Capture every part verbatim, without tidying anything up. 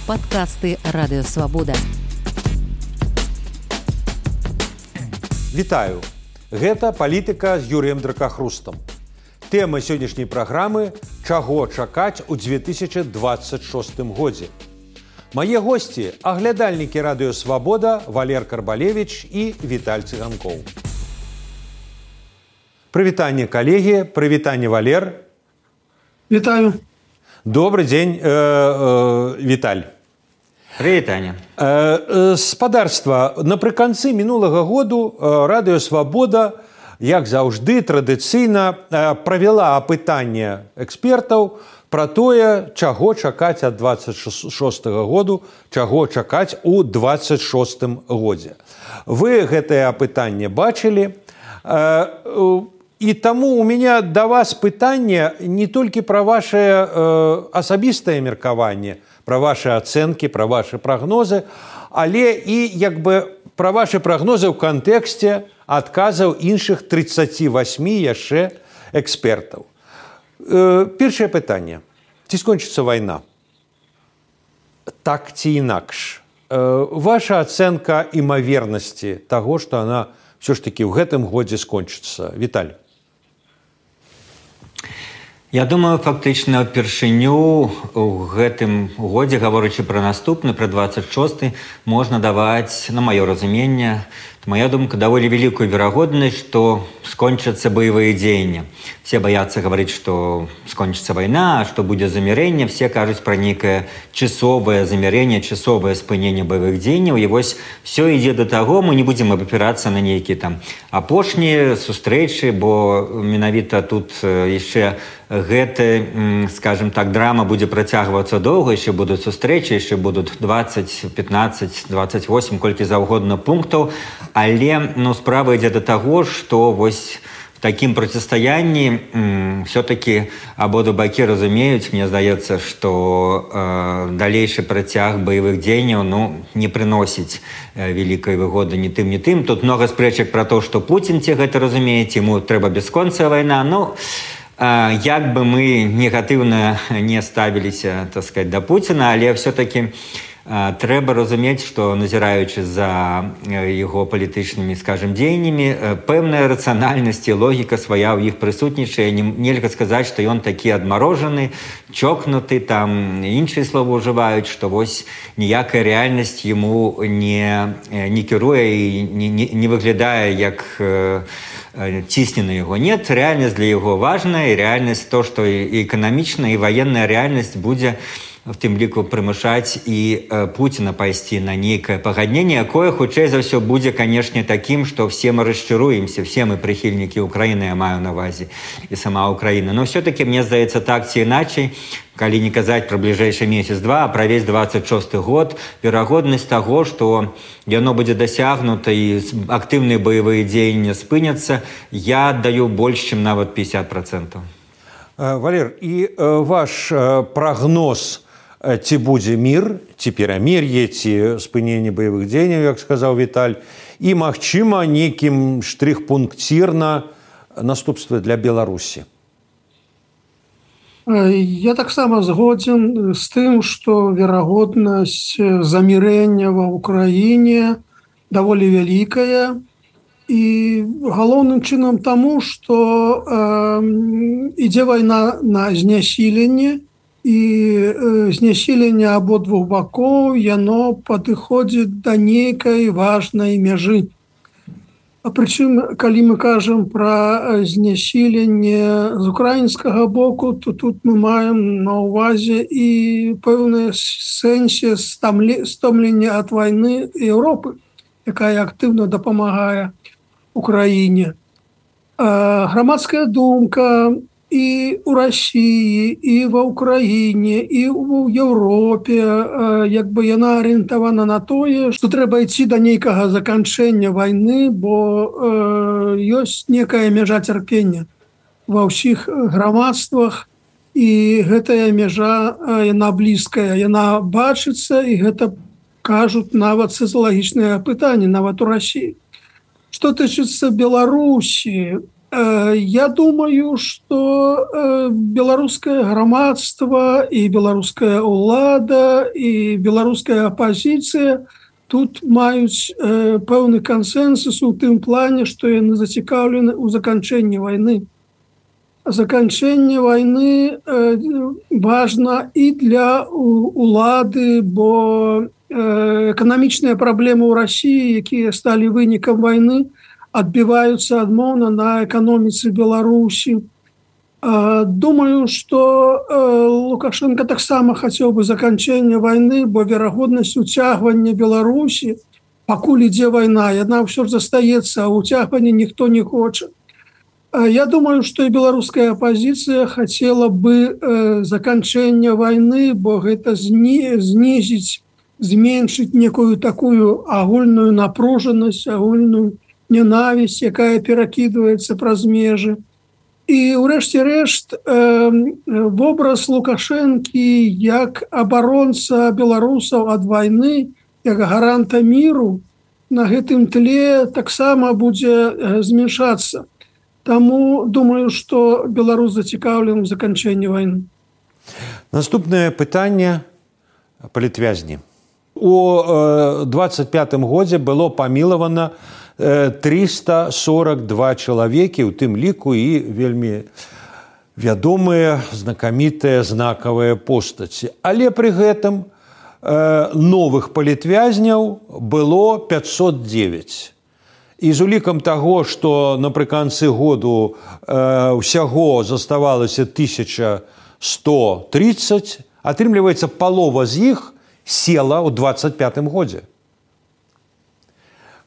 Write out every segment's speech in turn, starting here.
Падкасты Радыёвабода. Вітаю. Гэта палітыка з Юрыем Дракахрустам. Тэма сённяшняй праграмы «Чаго чакаць у две тысячи двадцать шостым годзе». Мае госці – аглядальнікі Радыёвабода Валер Карбалевіч і Віталь Цыганкоў. Прывітанне, калегі, прывітанне, Валер. Вітаю. Добрый дзень, э, э, Віталь. Прывітанне. Э, э, спадарства, напрыканцы мінулага году Радыёвабода, як заўжды, традыцыйна э, правяла апытанне экспертаў пра тое, чаго чакаць ад двадцать шостага году, чаго чакаць у двадцать шостым годзе. Вы гэтае апытанне бачылі, э, э, і таму у меня да вас пытанне не толькі пра ваше э, асабістае меркаванне, пра ваши ацэнкі, пра ваши прагнозы, але і як бы пра ваши прагнозы ў кантэксце адказаў іншых тридцати восьми яшчэ экспертаў. Э, першае пытанне. Ці скончыцца вайна? Так ці інакш? Э, ваша ацэнка імавернасці таго, што она ўсё ж такі ў гэтым годзе скончыцца. Віталь. Я думаю, фактычна ўпершыню ў гэтым годзе, гаворачы пра наступны, пра двадцать шосты, можна даваць, на маё разуменне, моя думка, даволі вялікую верагоднасць, што скончацца баявыя дзеянні. Все баяцца гаварыць, што скончыцца вайна, што будзе замірэнне, все кажуць пра нейкае часовае замірэнне, часовае спыненне баявых дзеянняў. І вось все ідзе да таго, мы не будзем абапірацца на нейкія там апошнія сустрэчы, бо менавіта тут яшчэ гэта, скажем так, драма будзе працягвацца доўга, яшчэ будуць сустрэчы, яшчэ будуць двадцать, пятнадцать, двадцать восемь, колькі заўгодна пунктаў. Але ну, справа ідзе да таго, што вось в такім процістаянні все-таки абодва бакі разумеюць, мне здаецца, што э, далейшы працяг баявых дзеянняў ну, не прыносіць э, вялікай выгоды ні тым, ні тым. Тут много спрэчак пра то, што Пуцін ці гэта разумеець, яму трэба бясконцая вайна. Ну, э, як бы мы негатыўна не ставіліся, так сказать, да Пуціна, але все-таки трэба разумець, што назіраючы за яго палітычнымі, скажем, дзеяннямі, пэўная рацыянальнасць і логіка свая ў іх прысутнічае. Нельга сказаць, што ён такі адмарожаны, чокнуты, там іншыя словы ўжываюць, што вось ніякая рэальнасць яму не, не кіруе і не, не, не выглядае як цісне на яго. Нет, рэальнасць для яго важная, і рэальнасць то, што і эканамічная, і ваенная рэальнасць будзе в тым ліку прымушаць і э, Пуціна пайсці на нейкае пагадненне, якое хутчэй за ўсё будзе, канешне, такім, што все мы расчаруемся, все мы прыхільнікі Украіны, я маю на ўвазе, і сама Украіна. Но все-таки, мне здаецца, так ці іначай, калі не казаць пра бліжэйшы месяц-два, а пра весь двадцать шосты год, верагоднасць таго, што яно будзе дасягнута і актыўныя баявыя дзеянні спыняцца, я аддаю больш, чым нават пятьдесят процентов. Валер, і ваш прагноз, ці будзе мір, ці перамір'е, ці спыненне баявых дзеянняў, як сказаў Віталь, і, магчыма, нейкім штрых-пункцірна наступствы для Беларусі. Я таксама згодзен з тым, што верагоднасць замірэння ва ўкраіне даволі вялікая, і галоўным чынам таму, што э, ідзе вайна на знясіленне, і знясіленне абодвух бакоў, яно падыходзіць да нейкай важнай мяжы. А прычым, калі мы кажам пра знясіленне з украінскага боку, то тут мы маем на ўвазе і пэўнае сэнсе стомлення ад вайны Еўропы, якая актыўна дапамагае Украіне. Грамадская думка і ў Расіі, і ва Ўкраіне, і ў Еўропе, як бы яна арыентавана на тое, што трэба ісці да нейкага заканчэння вайны, бо э, ёсць некая мяжа цярпення ва ўсіх грамадствах, і гэтая мяжа, яна блізкая, яна бачыцца, і гэта кажуць нават сацыялагічныя пытанні, нават у Расіі. Што тычыцца Беларусі, Я думаю, что беларускае грамадства і беларуская ўлада і беларуская апозіцыя тут маюць пэўны кансэнсус у тым плане, што яны зацікаўлены ў заканчэнні вайны. Заканчэнне вайны важна і для улады, бо эканамічныя праблемы ў Расіі, якія сталі вынікам вайны, адбіваюцца адмоўна на эканоміцы Беларусі. Думаю, што Лукашенко таксама хацеў бы заканчэння вайны, бо верагоднасць уцягвання Беларусі, пакуль ідзе вайна, яна ўсё ж застаецца, а уцягвання ніхто не хоча. Я думаю, што і беларуская апозіцыя хацела бы заканчэння вайны, бо гэта знізіць, зменшыць некую такую агульную напружанасць, агульную ненавісць, якая перакідваецца праз межы. І ўрэшце рэшт вобраз Лукашэнкі як абаронца беларусаў ад вайны, як гаранта міру на гэтым тле таксама будзе змяншацца. Таму думаю, што Беларусь зацікаўлена ў заканчэнні вайны. Наступнае пытанне палітвязні. У двадцать пятым годзе было памілавана триста сорок два чалавекі, у тым ліку і вельмі вядомыя, знакамітыя, знакавыя постаці. Але пры гэтым новых палітвязняў было пятьсот девять. І з улікам таго, што напрыканцы году ўсяго заставалася тысяча сто тридцать, атрымліваецца, палова з іх села ў двадцать пятым годзе.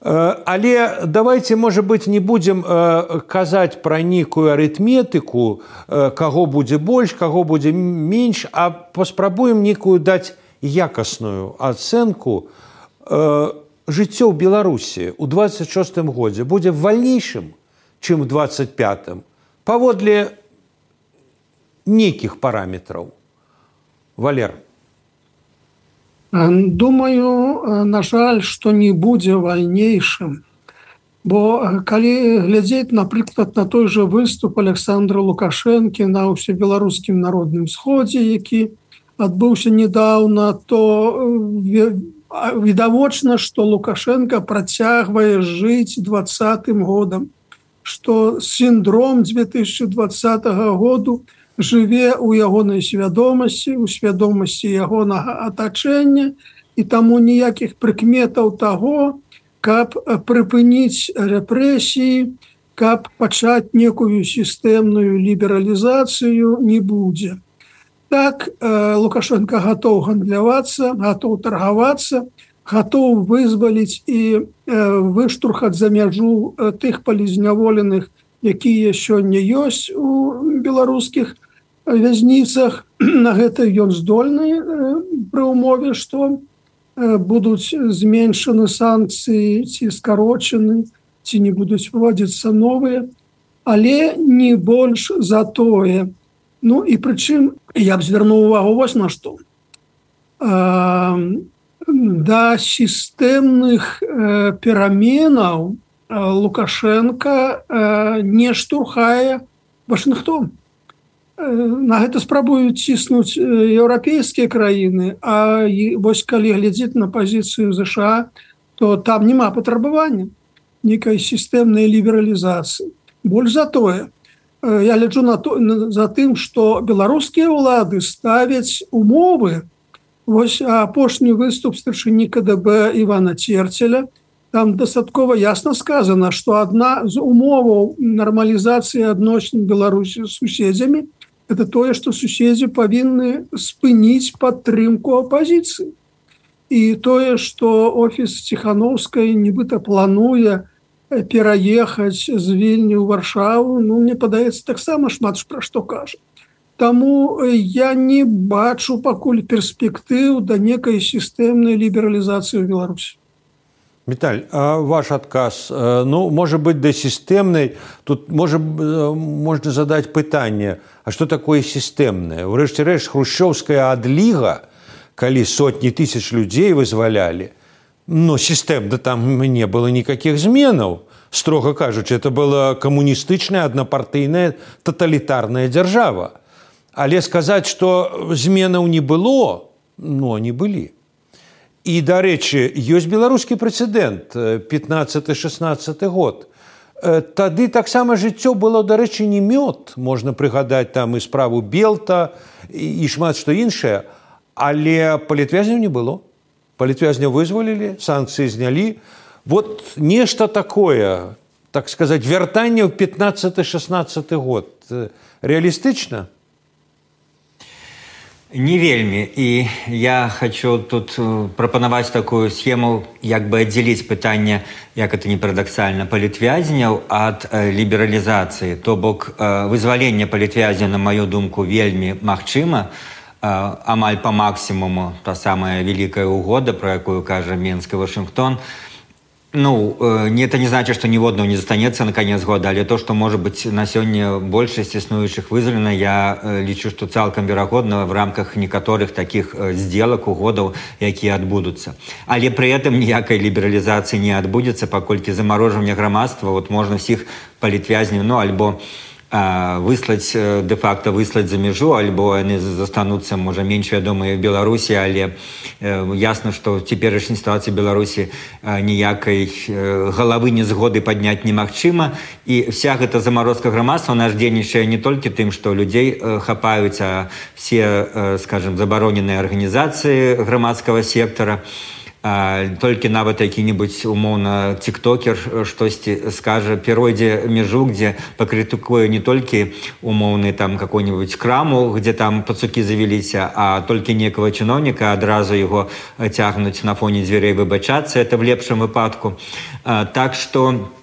Але давайте, может быть, не будем казаць пра нейкую арытметыку, каго будзе больш, каго будзе менш, а паспрабуем нейкую даць якасную ацэнку. Жыццё ў Беларусі ў двадцать шостым годзе будзе вальнейшым, чым у двадцать пятым, паводле нейкіх параметраў. Валер. Думаю, на жаль, што не будзе вальнейшым. Бо калі глядзець, напрыклад, на той жа выступ Александра Лукашэнкі на ўсебеларускім народным сходзе, які адбыўся недаўна, то відавочна, што Лукашенко працягвае жыць двадцатым годам, што сіндром две тысячи двадцатого году жыве ў ягонай свядомасці, у свядомасці ягонага атачэння, і таму ніякіх прыкметаў таго, каб прыпыніць рэпрэсіі, каб пачаць некую сістэмную лібералізацыю, не будзе. Так, Лукашенко гатоў гандлявацца, гатоў таргавацца, гатоў вызваліць і выштурхаць за мяжу тых палізняволеных, якія сёння ёсць у беларускіх вязніцах. На гэта ён здольны пры ўмове, што будуць зменшаны санкцыі ці скарочаны, ці не будуць выводзіцца новыя, але не больш за тое. Ну і прычым я б звярнуў увагу вось на што. Да сістэмных пераменаў Лукашенко не штурхае Вашынгтон. На гэта спрабуюць ціснуць еўрапейскія краіны, а вось калі глядзець на пазіцыю ЗША, то там няма патрабавання нейкай сістэмнай лібералізацыі. Больш за тое, я гляджу на то, за тым, што беларускія ўлады ставяць умовы. Вось апошні выступ старшыні КДБ Івана Церцеля, там дастаткова ясна сказана, што адна з умоваў нармалізацыі адносін Беларусі з суседзямі – это тое, што суседзі павінны спыніць падтрымку апазіцыі. І тое, што офіс Ціхановскай нібыта плануе пераехаць з Вільні ў Варшаву, ну, мне падаецца, таксама шмат пра што кажа. Таму я не бачу пакуль перспектыў да некай сістэмнай лібералізацыі ў Беларусі. Віталь, а ваш адказ, ну, можа быць, да сістэмнай, тут можа, можна задаць пытанне, а што такое сістэмнае? Урэшце рэшт, хрушчоўская адліга, калі сотні тысяч людзей вызвалялі, но сістэмна там не было никаких зменаў. строго кажучы, это была камуністычная аднапартыйная таталітарная дзяржава. Але сказаць, што зменаў не было, ну, они былі. І, дарэчы, ёсць беларускі прэцэдэнт, пятнаццаты-шестнаццаты год. Тады таксама жыццё было, дарэчы, не мёд. Можна прыгадаць там і справу Белта, і шмат што іншае. Але палітвязняў не было. Палітвязняў вызвалілі, санкцыі знялі. Вот нешта такое, так сказаць, вяртанне ў пятнаццаты-шестнаццаты год. Реалістычна? Не вельмі. І я хочу тут прапанаваць такую схему, як бы аддзяліць пытанне, як это не парадаксальна, палітвязняў ад лібералізацыі. То бок вызваленне палітвязня, на маю думку, вельмі магчыма, амаль по максимуму, та самая великая угода, про якую кажа Минск и Вашингтон. Ну, э, это не значит, что ниводного не застанется на конец года, але то, что, может быть, на сегодня большасць існуючых вызвалена, я э, лічу, что цалкам верагодна в рамках некаторых таких э, сделок, угодаў, якія адбудуцца. Але при этом ніякай лібералізацыі не адбудзецца, паколькі замарожвання грамадства, вот можно всіх палітвязняў, ну, альбо выслаць, де-факто выслаць за мяжу, альбо яны застануцца, можа, менш вядомыя в Беларусі, але ясна, што ў цяперашняй сітуацыі Беларусі ніякай галавы незгоды падняць немагчыма. І вся гэта замарозка грамадства наш дзейнічае не толькі тым, што людзей хапаюць, а все, скажем, забароненыя арганізацыі грамадскага сектара. А, толькі нават які-небудзь умоўна тиктокер штосьці скажа, перайдзе мяжу, где пакрытыкуе не толькі умоўны там какой-нибудь краму, где там пацукі завеліся, а толькі некага чыноўніка, адразу яго цягнуць на фоне дзвярэй выбачацца, это в лепшым выпадку. А, так што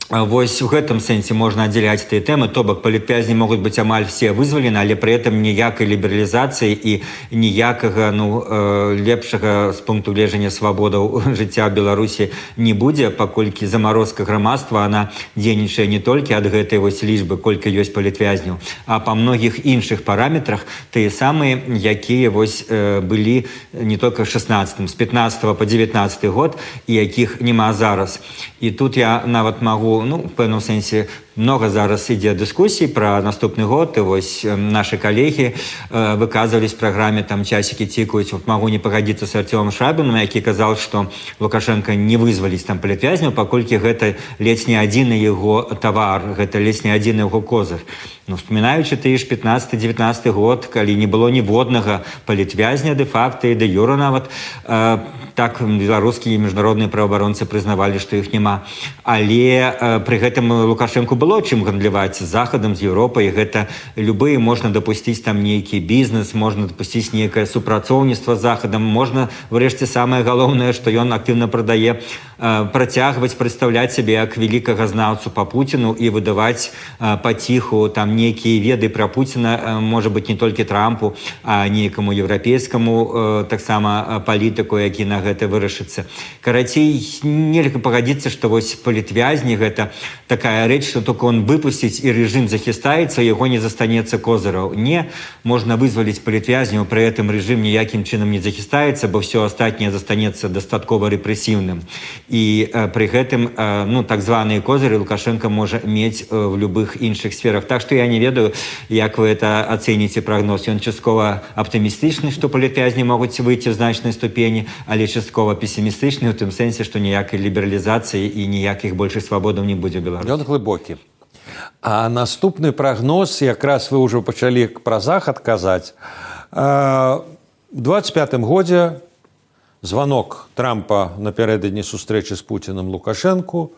вось у гэтым сэнсе можна аддзяляць тыя тэмы, то бок палітвязні могуць быць амаль все вызвалены, але пры этом ніякай лібералізацыі і ніякага ну, э, лепшага з пункту гледжання свабодаў жыцця ў Беларусі не будзе, паколькі замарозка грамадства, она дзейнічае не толькі ад гэтай вось лічбы, колькі ёсць палітвязняў, а па многіх іншых параметрах, тыя самыя, якія вось э, былі не толькі шестнадцатым, з пятнадцатого по девятнадцатый год, і якіх няма зараз. І тут я нават магу, ну, в пэўным сэнсе, много зараз ідзе дыскусій пра наступны год, і вось нашы калегі э, выказвались в праграме, там часікі цікаюць. Вот магу не пагадзіцца з Артёмом Шабіным, які казаў, што Лукашенко не вызваліць там палітвязняў, паколькі гэта ледзь не адзіны яго тавар, гэта ледзь не адзіны яго козыр. Ну, вспоминаючи ты ж пятнадцаты-девятнадцаты год, калі не было ніводнага палітвязня де-факто і де-юра нават, э, так беларускія міжнародныя праваабаронцы прызнавалі, што іх няма. Але э, пры гэтым Лукашенку было чым гандляваць з Захадам, з Еўропай. Гэта любые, можна дапусціць там нейкі бізнес, можна дапусціць нейкае супрацоўніцтва з Захадам, можна, врэшце, самае галоўнае, што ён актыўна прадае, э, працягваць прадстаўляць сябе як великага знаўцу па Пуціну і выдаваць э, паціху там некие веды про Путина, может быть, не только Трампу, а некому европейскому так само политику, який на гэта вырашыцца. Карацей, нельга пагадзіцца, што вось палітвязні гэта такая рэч, што только он выпусціць і режим захістаецца, яго не застанецца козыраў. Не, можна вызваліць палітвязняў, пры этом режим ніякім чынам не захістаецца, бо все астатняе застанецца дастаткова рэпрэсіўным. І пры гэтым, ну, так званыя козыры Лукашенко можа мець в любых іншых сферах. Так што я не ведаю, як вы это ацэніце прагноз. Ён часткова аптымістычны, што палітвязні могуць выйти в значнай ступені, але часткова пессімістычны ў тым сэнсе, што ніякай лібералізацыі і ніякіх большых свабодаў не будзе ў Беларусі. Ён глыбокі. А наступны прагноз, якраз вы ўжо пачалі пра Захад казаць. У двадцать пятым годзе званок Трампа напярэдадні сустрэчы з Пуціным Лукашэнку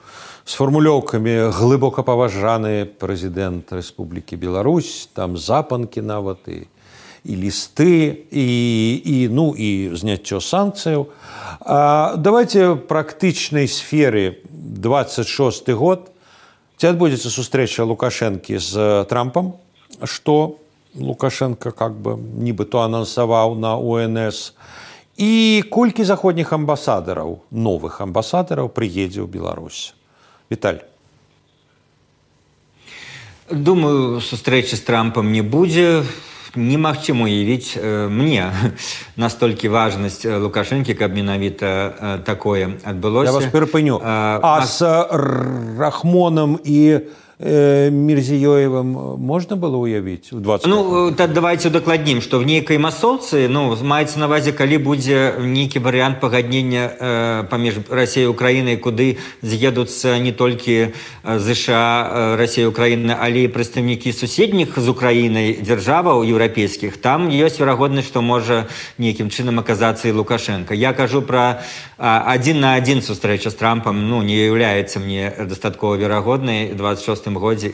з фармулёўкамі глыбока паважаны прэзідэнт Рэспублікі Беларусь, там запанкі нават і, і лісты, і, і, ну, і зняццё санкцыяў. А давайте практычнай сферы двадцать шосты год. Ці адбудзецца сустрэча Лукашэнкі з Трампам, што Лукашенко как бы нібыто анансаваў на О Н С. І колькі заходніх амбасадараў, новых амбасадараў прыедзе ў Беларусь? Віталь. Думаю, сустрэчы з Трампам не будзе. немагчыма уявіць э, мне настолькі важнасць Лукашэнкі, каб менавіта э, такое адбылося. Я вас перапыню. А, а з Рахмонам і э, Мірзіёевым можна было уявіць у двадцать? Ну, так давайте удакладнім, што в нейкай масоўцы, ну, маецца на ўвазе, калі будзе нейкі варыянт пагаднення э, паміж Расіяй і Украінай, куды з'едуцца не толькі ЗША, Расія, Украіна, але і прадстаўнікі суседніх з Украінай дзяржаваў еўрапейскіх, там ёсць верагоднасць, што можа нейкім чынам аказацца і Лукашенко. Я кажу пра адзін на адзін сустрэча з Трампам, ну, не з'яўляецца мне дастаткова верагоднай двадцать шостым годзе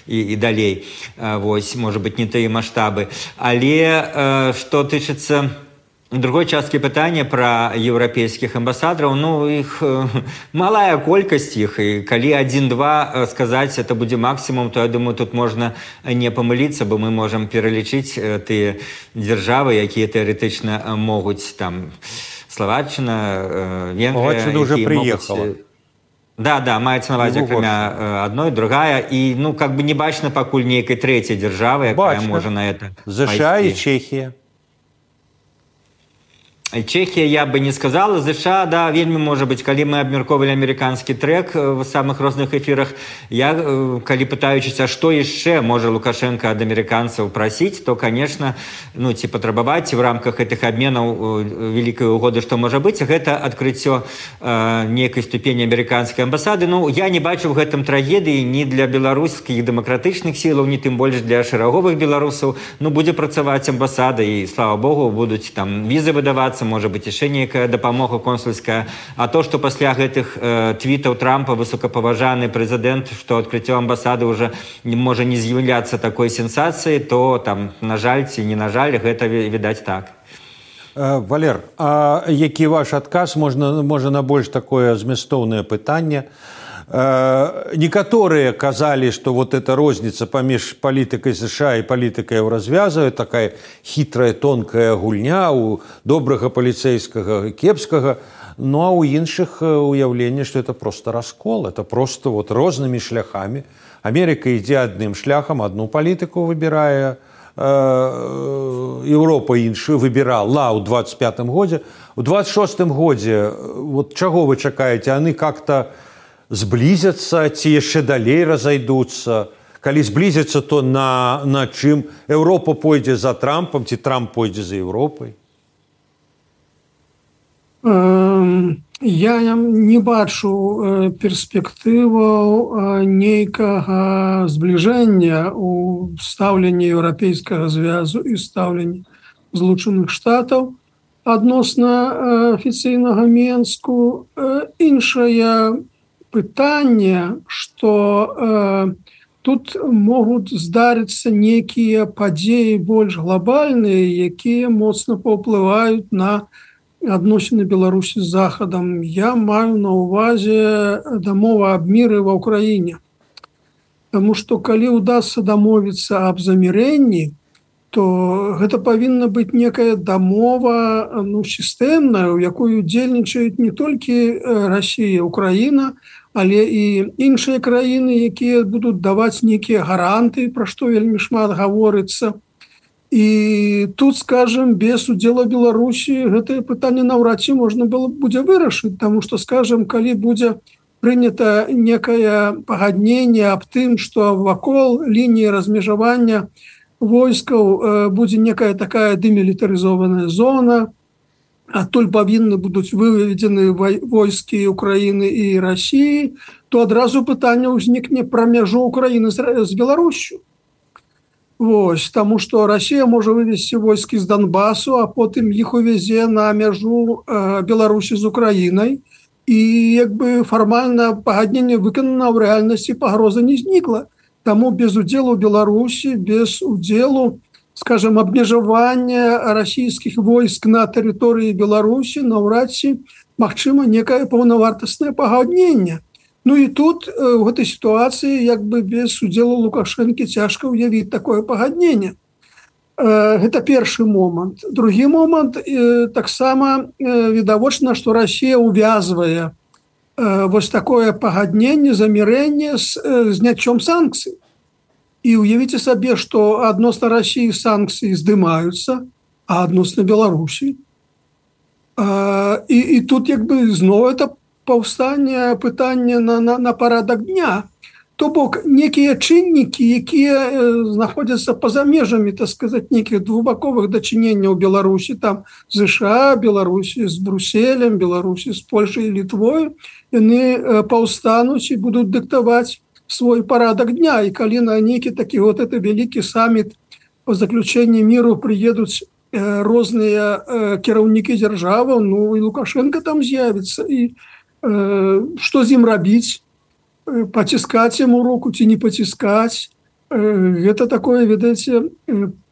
і, і далей. Вось, можа быць, не тыя маштабы. Але што тычыцца другой часткі пытання пра еўрапейскіх амбасадараў, ну, іх малая колькасць іх, і калі адзін-два сказаць, это будзе максімум, то, я думаю, тут можна не памыліцца, бо мы можам пералічыць тыя дзяржавы, якія тэарэтычна могуць, там, Словаччына, Венгрыя... Словаччына ўжо прыехала. Да, да, маецца на ўвазе, акрамя адной, другая, і, ну, как бы не бачна пакуль нейкай трэцяй дзяржавы, якая можа на это ЗША і Чехія. Чехія я бы не сказала, ЗША, да, вельмі можа быць, калі мы абмяркоўвалі амерыканскі трэк в самых розных эфірах, я, калі пытаючыся, што яшчэ можа Лукашенко ад амерыканцаў прасіць, то, конечно, ну, ці патрабаваць в рамках гэтых абменаў вялікай угоды, што можа быць, гэта адкрыццё э, нейкай ступені амерыканскай амбасады. Ну, я не бачу в гэтым трагедыі ні для беларускіх дэмакратычных сілаў, ні тым больш для шэраговых беларусаў. Ну, будзе працаваць амбасада, і, слава Богу, будуць там візы выдавацца, можа быць яшчэ нейкая дапамога консульская. А то, што пасля гэтых э, твітаў Трампа высокапаважаны прэзідэнт, што адкрыццё амбасады ўжо можа не з'яўляцца такой сенсацыяй, то там, на жаль ці не на жаль, гэта відаць так. Э, Валер, а які ваш адказ, можна, можа на больш такое змястоўнае пытанне? Некаторыя казалі, што вот эта розніца паміж палітыкай ЗША і палітыкай еўразвязу, такая хітрая, тонкая гульня у добрага паліцэйскага і кепскага, ну а ў іншых уяўленне, што это просто раскол, это просто вот рознымі шляхамі. Амерыка ідзе адным шляхам, адну палітыку выбірае, Еўропа іншую выбірала ў двадцать пятым годзе. У двадцать шостым годзе, вот чаго вы чакаеце, яны как-то зблізяцца ці яшчэ далей разайдуцца? Калі зблізяцца, то на, на чым? Еўропа пойдзе за Трампам ці Трамп пойдзе за Еўропай? Я не бачу перспектываў нейкага збліжэння ў стаўленні еўрапейскага звязу і стаўленні Злучаных Штатаў адносна афіцыйнага Менску. Іншая пытанне, што э, тут могуць здарыцца нейкія падзеі больш глобальныя, якія моцна паўплываюць на адносіны Беларусі з Захадам. Я маю на ўвазе дамова аб міры ва ўкраіне. Таму што калі ўдасца дамовіцца аб замірэнні, то гэта павінна быць некая дамова, ну, сістэмная, у якой удзельнічаюць не толькі Расія, Украіна, але і іншыя краіны, якія будуць даваць нейкія гаранты, пра што вельмі шмат гаворыцца. І тут, скажем, без удзела Беларусі гэтае пытанне наўрад ці можна было будзе вырашыць, таму што, скажем, калі будзе прынята некае пагадненне аб тым, што вакол лініі размежавання войскаў будзе некая такая дэмілітарызованая зона, адтуль павінны будуць выведзены войскі Украіны і Расіі, то адразу пытанне ўзнікне пра мяжу Украіны з Беларусю. Вось, таму што Расія можа вывесці войскі з Донбасу, а потым іх увязе на мяжу Беларусі з Украінай, і як бы фармальна пагадненне выканана, ў рэальнасці пагроза не знікла. Таму без удзелу Беларусі, без удзелу, скажем, абмежавання расійскіх войск на тэрыторыі Беларусі наўрад ці магчыма некае паўнавартаснае пагадненне. Ну і тут у гэтай сітуацыі як бы без удзелу Лукашэнкі цяжка ўявіць такое пагадненне. Гэта першы момант. Другі момант, таксама відавочна, што Расія ўвязвае вось такое пагадненне, замірэнне з зняццём санкцый. І уявіце сабе, што адносна Расіі санкцыі здымаюцца, а адносна Беларусі. І, і тут як бы зноў это паўстанне пытання на, на, на парадак дня. То бок некія чыннікі, якія знаходзяцца па-за межамі, так сказаць, некіх двухбаковых дачыненняў Беларусі, там ЗША, Беларусі з Брюсселем, Беларусі з Польшай і Літвою, яны паўстануць і будуць дыктаваць свой парадак дня. І калі на нейкі такі вот это вялікі саміт по заключэнні міру прыедуць розныя кіраўнікі дзяржаваў, ну і Лукашенко там з'явіцца. І э, што з ім рабіць? Паціскаць яму руку ці не паціскаць? Гэта такое, ведаеце,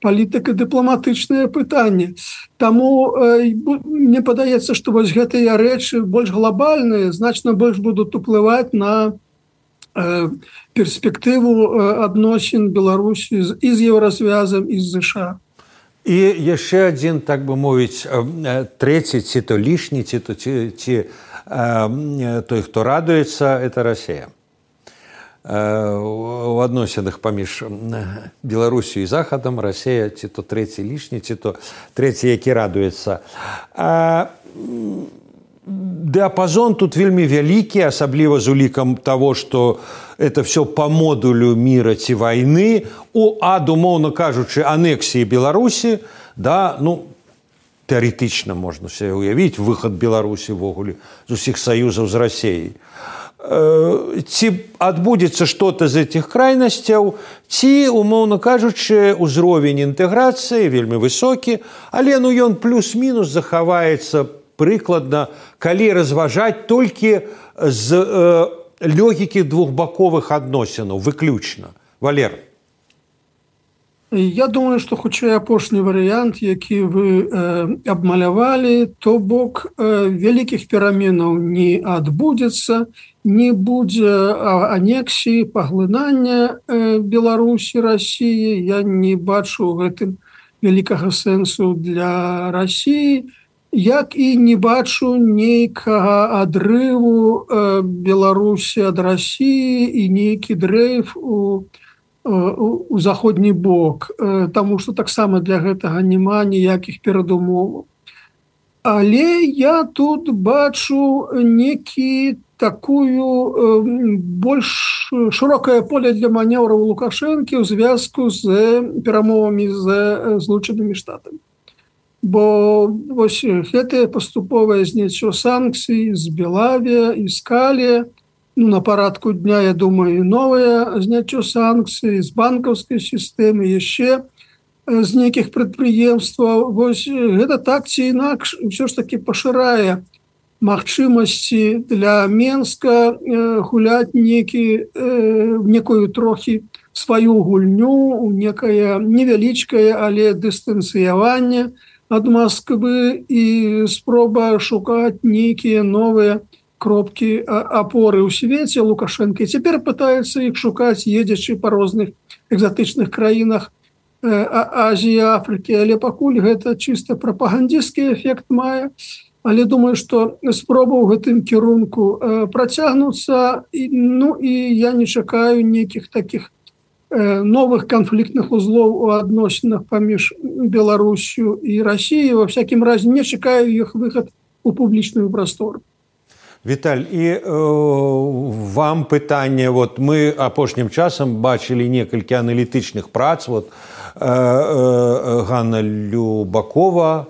палітыка-дыпламатычнае пытанне. Таму мне падаецца, што вось гэтыя рэчы больш глобальныя, значна больш будуць уплываць на перспектыву адносін Беларусі і з еўразвязам, і з ЗША. І яшчэ адзін, так бы мовіць, трэці, ці то лішні, ці то ці, ці той, хто радуецца, это Расія. У адносінах паміж Беларусю і Захадам Расія ці то трэці лішні, ці то трэці, які радуецца. Дыапазон тут вельмі вялікі, асабліва з улікам таго, што это все па модулю міра ці вайны, у ад, умоўна кажучы, анексіі Беларусі, да, ну, тэарэтычна можна себе уявіць выхад Беларусі ввогуле з усіх саюзаў з Расіяй. Ці адбудзецца што-то з этих крайнасцяў, ці, умоўна кажучы, узровень інтэграцыі вельмі высокі, але ну ён плюс-мінус захаваецца прыкладна, калі разважаць толькі з э, логікі двухбаковых адносінаў, выключна. Валер. Я думаю, што хутчэй апошні варыянт, які вы э, абмалявалі, то бок э, вялікіх пераменаў не адбудзецца, не будзе анексіі, паглынання э, Беларусі, Расіі. Я не бачу гэтым вялікага сэнсу для Расіі, як і не бачу нейкага адрыву э, Беларусі ад Расіі і нейкі дрейф у у заходні бок, таму што таксама для гэтага няма ніякіх перадумоваў. Але я тут бачу некі такую больш шырокае поле для манеўраў Лукашэнкі ў звязку з перамовамі з Злучанымі Штатамі. Бо вось гэтае паступовае зняццё санкцый з Белавія і з Калія, ну, на парадку дня, я думаю, новае зняццё санкцый з банкаўскай сістэмы, яшчэ з нейкіх прадпрыемстваў. Вось гэта так ці інакш ўсё ж такі пашырае магчымасці для Менска гуляць некі, некую трохі сваю гульню, некае невялічкае, але дыстанцыяванне ад Масквы і спроба шукаць нейкія новыя кропкі апоры ў свеце Лукашенко. І цяпер пытаецца іх шукаць, едзячы па розных экзатычных краінах Азіі, Афрыкі. Але пакуль гэта чыста прапагандысцкі эфект мае. Але думаю, што спроба ў гэтым кірунку працягнуцца. Ну і я не чакаю нейкіх такіх новых канфліктных узлоў у адносінах паміж Беларусю і Расіяй. Во всякім разе не чакаю іх выхад у публічную прастору. Віталь, і э, вам пытанне, вот мы апошнім часам бачылі некалькі аналітычных прац, вот э, э, Ганна Любакова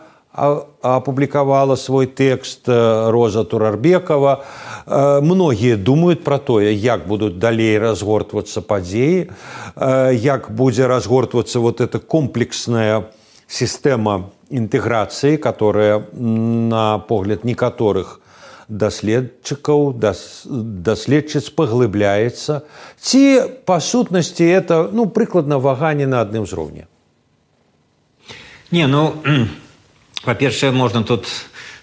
апублікавала свой тэкст, Роза Турарбекова. Э, многія думаюць пра тое, як будуць далей разгортвацца падзеі, э, як будзе разгортвацца вот эта комплексная сістэма інтэграцыі, которая, на погляд некаторых даследчыкаў, даследчыц паглыбляецца, ці па сутнасці это, ну, прыкладна ваганне на адным узроўні? Не, ну, па-першае, можна тут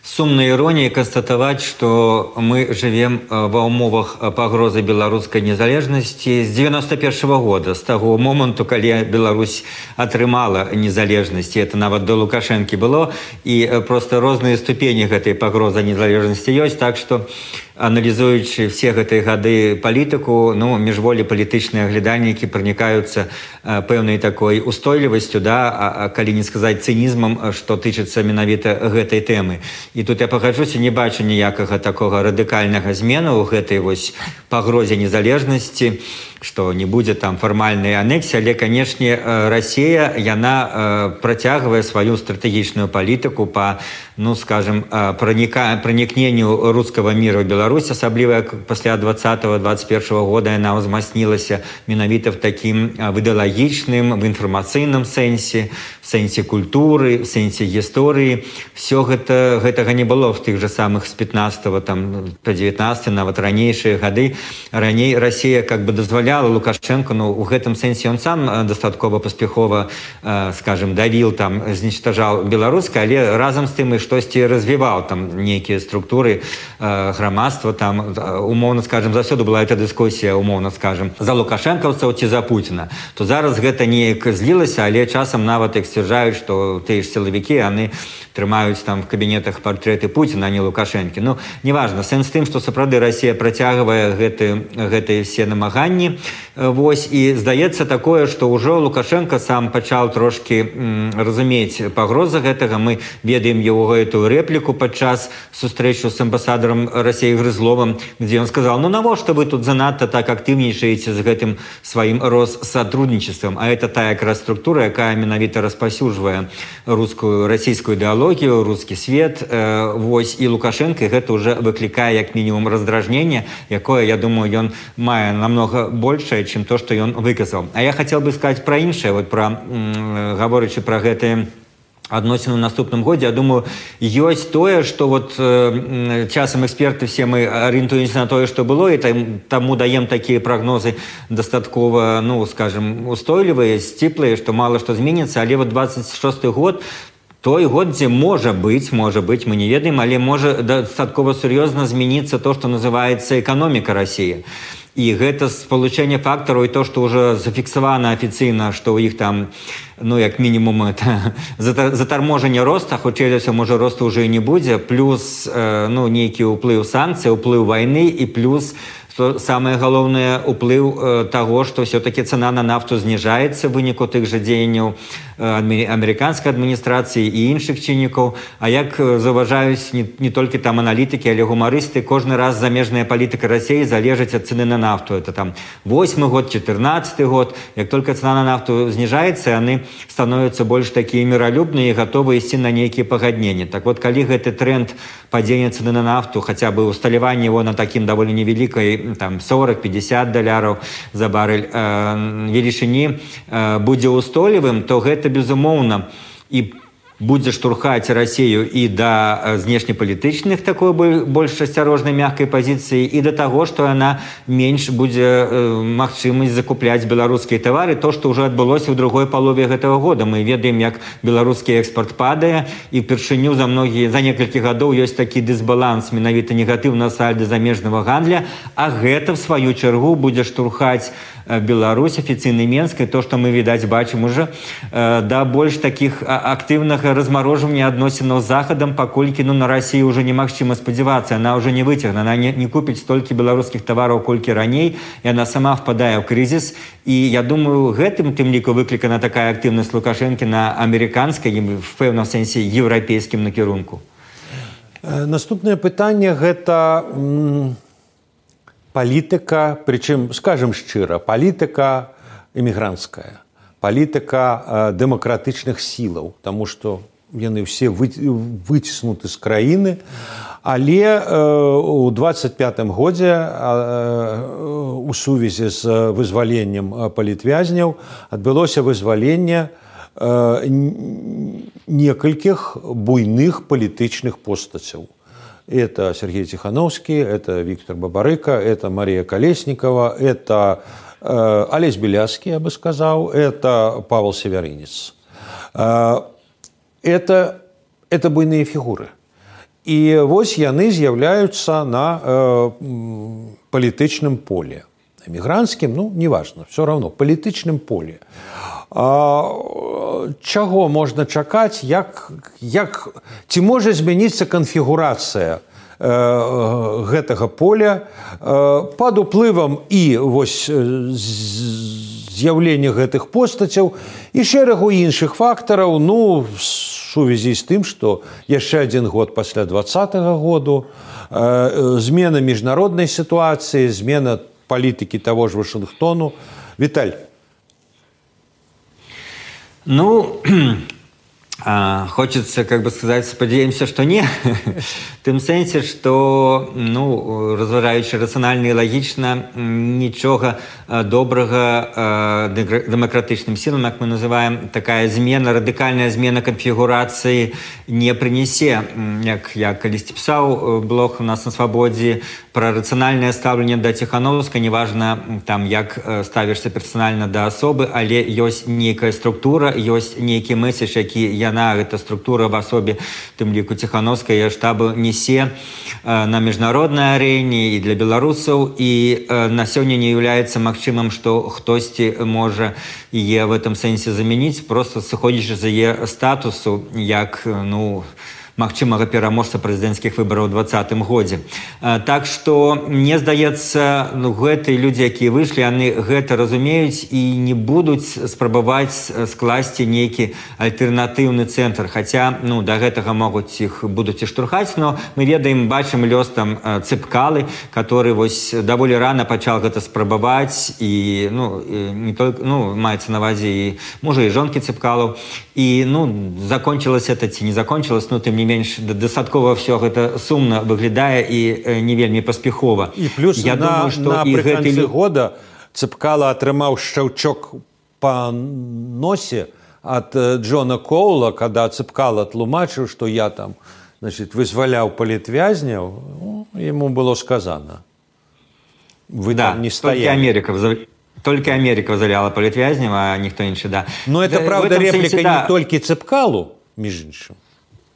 сумнай іроніяй канстатаваць, што мы жывем ва ўмовах пагрозы беларускай незалежнасці з дзевяноста першага года, з таго моманту, калі Беларусь атрымала незалежнасць. Это нават до Лукашэнкі было, і проста розныя ступені гэтай пагрозы незалежнасці ёсць, так што аналізуючы все гэтыя гады палітыку, ну, міжволі палітычныя аглядальнікі пранікаюцца пэўнай такой устойлівасцю, да, а, а калі не сказаць цынізмам, што тычыцца менавіта гэтай тэмы. І тут я пагаджуся, не бачу ніякага такога радыкальнага змену ў гэтай вось пагрозе незалежнасці, што не будзе там фармальнай анексіі, але, канешне, Расія, яна працягвае сваю стратэгічную палітыку па, ну, скажем, праніка, пранікненню рускага міру ў Беларусь, асабліва пасля двадцатого двадцать первого года яна ўзмацнілася менавіта в такім в ідэалагічным, в інфармацыйным сэнсе, в сэнсе культуры, в сэнсе гісторыі. Все гэта, гэтага не было в тых же самых з пятнадцатого там, по девятнадцатый, нават ранейшыя гады. Раней Расія как бы дазваляла Лукашенко, ну, у гэтым сэнсе он сам дастаткова паспяхова, э, скажем, давіл, там, знічтажаў беларускае, але разам з тым і штосьці развіваў там нейкія структуры э, грамадства, там, умоўна, скажем, заўсёды была эта дыскусія, умоўна, скажем, за лукашэнкаўцаў ці за Пуціна. То зараз гэта неяк злілася, але часам нават іх сцвярджаюць, што тыя ж сілавікі, яны трымаюць там в кабінетах партрэты Пуціна, а не Лукашэнкі. Ну, неважна, сэнс тым, што сапраўды Расія працягвае гэты, гэтыя все намаганні. Вось, і здаецца такое, што ўжо Лукашенко сам пачаў трошкі м, разумець пагрозы гэтага. Мы ведаем его гэтую рэпліку падчас сустрэчу з амбасадарам Расіі Грызловым, дзе ён сказал: ну навошта вы тут занадта так актыўнічаеце з гэтым сваім россотрудничеством, а это тая якраз структура, якая менавіта распаўсюджвае рускую, расійскую ідэалогію, рускі свет. Э, вось, і Лукашенко гэта уже выклікае як мінімум раздражненне, якое, я думаю, ён мае намного большее, чем то, что он выказал. А я хотел бы сказать про іншае, вот про, говорячи про гэтые адносіны ў наступным годзе, я думаю, ёсць тое, што вот э, часам эксперты все мы арыентуемся на тое, што было, і там, таму даем такія прагнозы дастаткова, ну, скажем, устойлівыя, сціплыя, што мала што зменіцца, але вот двадцать шосты год, той год, дзе можа быць, можа быць, мы не ведаем, але можа дастаткова сур'ёзна змяніцца то, што называецца эканоміка Расіі. І гэта спалучэнне фактараў і то, што ўжо зафіксавана афіцыйна, што ў іх там, ну, як мінімум, это затарможанне роста, хутчэй за ўсё, можа, росту ўжо і не будзе, плюс, э, ну, нейкі ўплыў санкцый, ўплыў вайны і плюс, што самае галоўнае, уплыў э, таго, што ўсё-такі цана на нафту зніжаецца в выніку тых жа дзеянняў э, амерыканскай адміністрацыі і іншых чыннікаў. А як заўважаюць не, не толькі там аналітыкі, але гумарысты, кожны раз замежная палітыка Расіі залежыць ад цены на нафту. Это там восьмы год, чатырнаццаты год. Як только цена на нафту зніжаецца, яны становятся больш такія міралюбныя і гатовы ісці на нейкія пагадненні. Так вот, калі гэты тренд падзення цены на нафту, хаця бы усталяванне его на такім даволі невялікай, там сорок-пятьдесят даляраў за барэль э, велічыні э, будзе устойлівым, то гэта безумоўна і будзе штурхаць Расію і да знешнепалітычных такой больш асцярожнай мяккай пазіцыі, і да таго, што яна менш будзе э, магчымасць закупляць беларускія тавары, то, што ўжо адбылося ў другой палове гэтага года. Мы ведаем, як беларускі экспорт падае, і впершыню за многія, за некалькі гадоў ёсць такі дысбаланс, менавіта негатыўна сальда замежнага гандля, а гэта, в сваю чаргу, будзе штурхаць Беларусь, афіцыйны Менск, і то, што мы, відаць, бачым уже, э, да больш такіх актыўнага размарожвання адносінаў з Захадам, паколькі, ну, на Расію ўжо немагчыма спадзявацца, яна ўжо не выцягне, яна не, не купіць столькі беларускіх тавараў, колькі раней, яна сама впадае ў крызіс, і я думаю, гэтым тым ліку выклікана такая актыўнасць Лукашэнкі на амерыканскай, в пэўным сэнсе еўрапейскім накірунку. Наступнае пытанне гэта палітыка, прычым, скажем шчыра, палітыка эмігранцкая, палітыка дэмакратычных сілаў, таму што яны ўсе выціснуты з краіны, але ў двадцать пятым годзе у сувязі з вызваленнем палітвязняў адбылося вызваленне некалькіх буйных палітычных постацяў. Это Сергей Тихановский, это Виктор Бабарыка, это Мария Колесникова, это э, Олесь Беляцкий, я бы сказал, это Павел Северинец. Э, это, это буйные фигуры. И вось яны з'яўляюцца на э, палітычным поле. Эмігранцкім, ну, неважно, все равно, палітычным поле. А, чаго можна чакаць, як, як, ці можа змяніцца канфігурацыя гэтага поля пад уплывам і вось з'яўлення гэтых постацяў і шэрагу іншых фактараў, ну, в сувязі з тым, што яшчэ адзін год пасля двадцатага году, змена міжнароднай сітуацыі, змена палітыкі таго ж Вашынгтону. Віталь. Ну, хочется, как бы сказать, спадзяемся, что не. В тым сэнсе, что, ну, разважаючы рацыянальна і лагічна, нічога добрага дэмакратычным сілам, як мы называем, такая змена, радыкальная змена канфігурацыі не прынесе. Як я калісьці пісаў блог у нас на Свабодзе пра рацыянальнае стаўленне да Ціхановскай, неважна, там, як ставішся персанальна да асобы, але ёсць нейкая структура, ёсць нейкі меседж, які яна, гэта структура в асобе, тым ліку Ціхановскай штабу несе на міжнароднай арэне і для беларусаў, і на сёння не являецца магчымым, што хтосьці можа яе в этом сэнсе замяніць, просто сыходзячы з яе статусу, як, ну, магчымага пераможца прэзідэнцкіх выбараў у двадцатым годзе. Так што, мне здаецца, ну, гэтыя людзі, якія выйшлі, яны гэта разумеюць і не будуць спрабаваць скласці нейкі альтэрнатыўны цэнтр. Хаця, ну, да гэтага могуць іх будуць і штурхаць, но мы ведаем, бачым лёс там Цыпкалы, который вось даволі рана пачал гэта спрабаваць, і, ну, не только, ну, маецца на ўвазе і мужа, і жонкі Цыпкалаў. І, ну, закончилось это ці не закончилось, ну, тым не менш, дастаткова все гэта сумна выглядае і не вельмі паспяхова. І плюс я на, думаю, напрыканцы гэты... года Цыпкала атрымаў шчаўчок па носе ад Джона Коула, когда Цыпкала тлумачыў, што я там, значит, вызваляў палітвязняў, ну, ему было сказано. Вы да, там не стояли. Америка Только Америка вызваляла палітвязняў, а ніхто іншы, да. Но это, да, правда, реплика сенсе, да. Не толькі Цыпкалу, між іншым.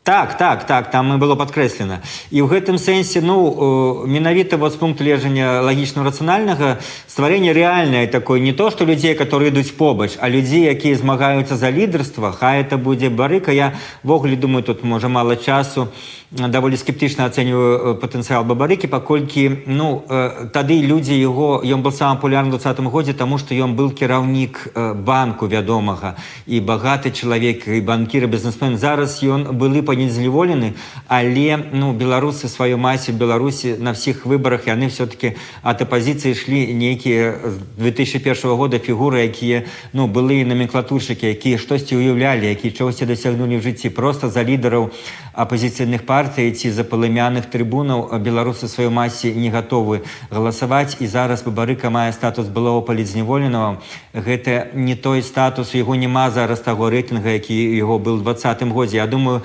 Так, так, так, там было падкрэслена. І ў гэтым сэнсе, ну, менавіта вот з пункту гледжання лагічна-рацыянальнага стварэнне рэальнае такое, не то, што людзей, которые ідуць побач, а людзей, якія змагаюцца за лідарства, хай это будзе Барыка. Я ввогуле думаю, тут можа мала часу, даволі скептычна ацэньваю патэнцыял Бабарыкі, паколькі, ну, тады людзі яго, ён быў самым папулярным у двадцатым годзе, таму што ён быў кіраўнік банку вядомага, і багаты чалавек, і банкір, і бізнесмен. Зараз ён былы панезняволены, але, ну, беларусы сваёй масе в Беларусі на всіх выбарах, яны все-таки ад апозіцыі ішлі нейкія з две тысячи першага года фігуры, якія, ну, былыя номенклатуршыкі, якія штосьці уяўлялі, якія чогосьці дасягнулі в жыцці, просто за лідараў апозіцыйных партый ці за палымяных трыбунаў беларусы сваёй масе не гатовы галасаваць, і зараз Бабарыка мае статус былого палітзняволенага. Гэта не той статус, яго няма зараз таго рэйтынга, які яго был у двадцатым годзе. Я думаю,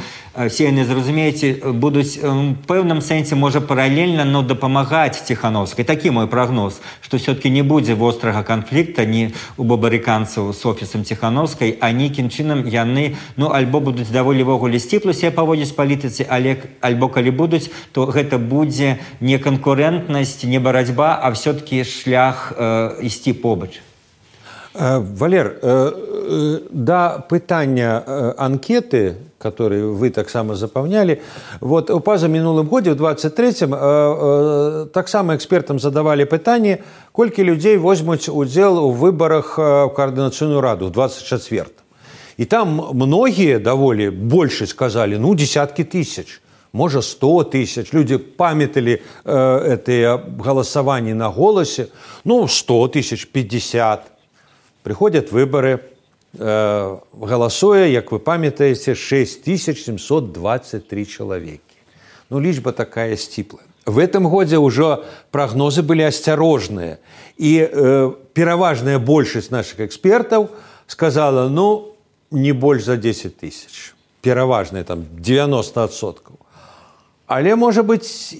все яны, зразумееце, будуць в пэўным сэнсе, можа, паралельна, но дапамагаць Ціхановскай. Такі мой прагноз, што все-таки не будзе вострага канфлікта ні у бабарыканцаў з офісам Ціхановскай, а нейкім чынам яны, ну, альбо будуць даволі вогуле сціпла себе паводзіць палітыцы, але альбо калі будуць, то гэта будзе не канкурэнтнасць, не барацьба, а все-таки шлях э, ісці побач. Валер, да пытання анкеты, которые вы таксама запаўнялі, вот у пазамінулым годзе, у двадцать третьем, таксама экспертам задавалі пытанне, колькі людзей возьмуць удзел у выбарах у координацыйную раду в двадцать четвёртом. И там многие даволі больше сказали, ну, десятки тысяч, может, сто тысяч. Люди памятали э, это голосование на голосе, ну, сто тысяч, пятьдесят. Приходят выборы, э, голосуя, как вы памятаете, шесть тысяч семьсот двадцать три человеки. Ну, лічба такая сціплая. В этом году уже прогнозы были осторожные. И э, пераважная большасць наших экспертов сказала, ну, не больше за десять тысяч. Пераважная, там, девяносто процентов. Але, может быть,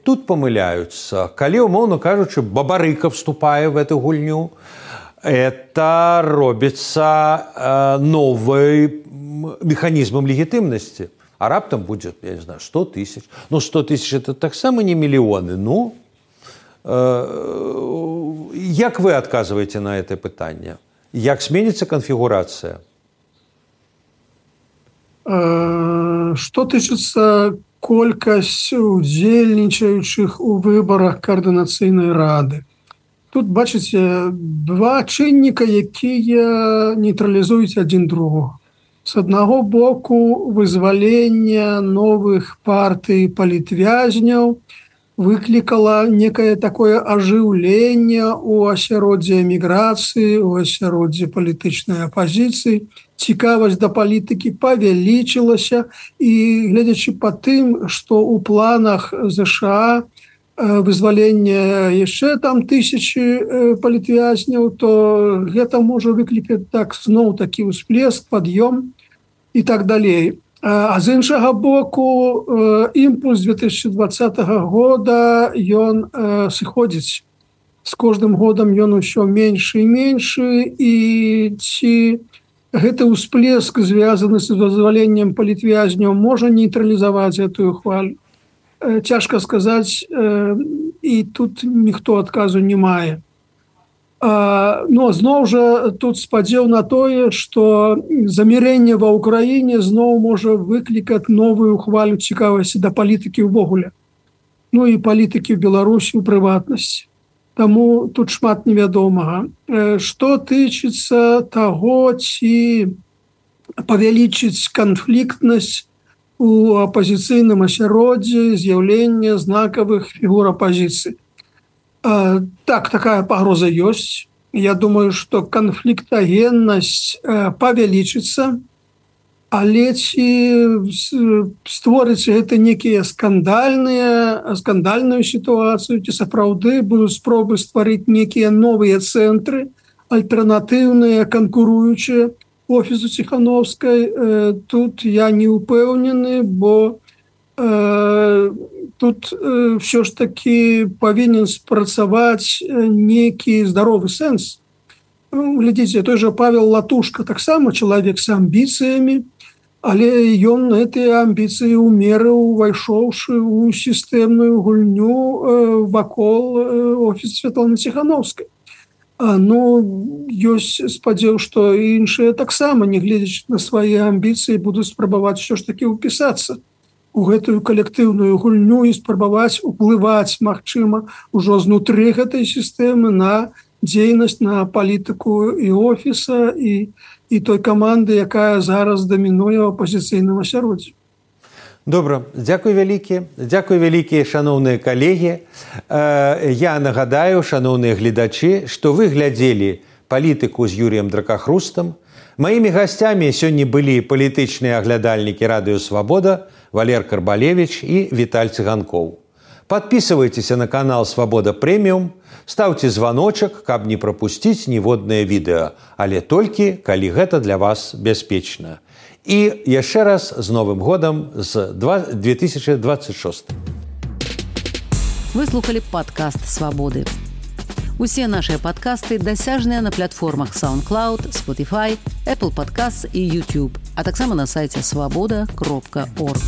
тут помыляются. Калі, умоўна кажучы, Бабарыка вступае в эту гульню, это робится э, новым механизмом легитимности. А раптом будет, я не знаю, сто тысяч. Ну, сто тысяч это так само не миллионы. Ну, э, як вы отказываете на это питание? Як зменится конфигурация? Что тычыцца колькасць удзельнічаючых у выбарах каардынацыйнай рады. Тут бачыце два чынніка, якія нейтралізуюць адзін другога. З аднаго боку, вызвалення новых партый палітвязняў выклікала некае такое ажыўленне ў асяроддзі эміграцыі, у асяроддзі палітычнай апазіцыі. Цікавасць да палітыкі павялічылася, і гледзячы па тым, што ў планах ЗША вызвалення яшчэ там тысячы палітвязняў, то гэта можа выклікаць так зноў такі ўсплеск, пад'ём і так далей. А з іншага боку, імпульс две тысячи двадцатого года ён сыходзіць. З кожным годам ён усё меншы і меншы, і ці гэты ўсплеск, звязаны з вызваленнем палітвязняў, можа нейтралізаваць гэтую хвалю. Цяжка сказаць, і тут ніхто адказу не мае. Но зноў жа тут спадзеў на тое, што замірэнне ва ўкраіне зноў можа выклікаць новую хвалю цікавасці да палітыкі ўвогуле. Ну і палітыкі ў Беларусі ў прыватнасці. Таму тут шмат невядомага. Што тычыцца таго, ці павялічыць канфліктнасць у апозіцыйным асяроддзі, з'яўлення знакавых фігур апозіцыі. Так, такая пагроза ёсць. Я думаю, што канфліктагеннасць павялічыцца, але ці створыць гэта некія скандальныя, скандальную сітуацыю, ці сапраўды будуць спробы стварыць некія новыя цэнтры, альтэрнатыўныя, канкуруючыя офісу Ціхановскай, тут я не упэўнены, бо э, тут э, ўсё ж таки павінен спрацаваць некі здаровы сэнс. Глядзіце, той жа Павел Латушка таксама чалавек з амбіцыямі, але ён гэтыя амбіцыі умерыў, увайшоўшы ў сістэмную гульню э, вакол э, офісу Святланы Ціхановскай. Ну, ёсць спадзеў, што іншыя таксама, не гледзячы на свае амбіцыі, будуць спрабаваць ўсё ж такі ўпісацца у гэтую калектыўную гульню і спрабаваць уплываць, магчыма, ужо знутры гэтай сістэмы на дзейнасць, на палітыку і офіса, і, і той каманды, якая зараз дамінуе ў апозіцыйным асяроддзі. Добра, дзякуй вялікі, дзякуй вялікія, шаноўныя калегі. Я нагадаю, шаноўныя гледачы, што вы глядзелі палітыку з Юрыем Дракахрустам. Маімі гасцямі сёння былі палітычныя аглядальнікі Радыё Свабода, Валер Карбалевіч і Віталь Цыганкоў. Падпісывайцеся на канал Свабода Прэміум, стаўце званочак, каб не прапусціць ніводнае відэа, але толькі, калі гэта для вас бяспечна. І яшчэ раз з Новым годам з две тысячи двадцать шостым. Вы слухали падкаст Свабоды. Усе нашыя падкасты дасяжныя на платформах SoundCloud, Spotify, Apple Podcasts і YouTube, а таксама на сайце свабода кропка орг.